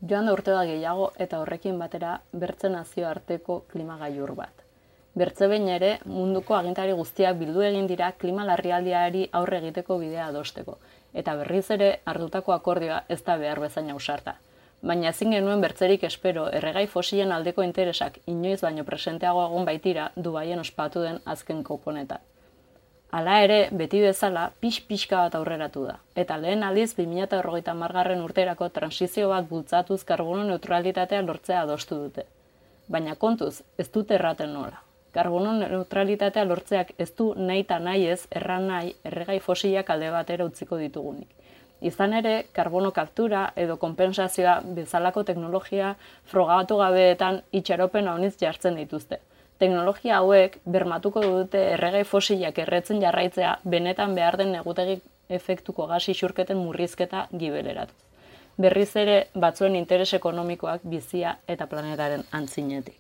Joan da urte bat gehiago eta horrekin batera bertze nazioarteko klima gailur bat. Bertze behin ere munduko agintari guztiak bildu egin dira klima larrialdiari aurre egiteko bidea adosteko, eta berriz ere hartutako akordioa ez da behar bezain ausarta. Baina ezin genuen bertzerik espero erregai fosilen aldeko interesak inoiz baino presenteago egon baitira Dubaien ospatu den azken koponetan. Hala ere, beti bezala, pixka bat aurreratu da, eta lehen aldiz 2030 urterako transizio bat bultzatuz karbono neutralitatea lortzea adostu dute. Baina kontuz, ez dute erraten nola. Karbono neutralitatea lortzeak ez du nahi eta nahi ez erran nahi erregai fosilak alde batera utziko ditugunik. Izan ere, karbono kaptura edo konpensazioa bezalako teknologia frogatu gabeetan itxaropen haunitz jartzen dituzte. Teknologia hauek bermatuko dute erregai fosilak erretzen jarraitzea benetan behar den negutegi efektuko gas isurketen murrizketa gibeleratuz. Berriz ere batzuen interes ekonomikoak bizia eta planetaren antzinetik.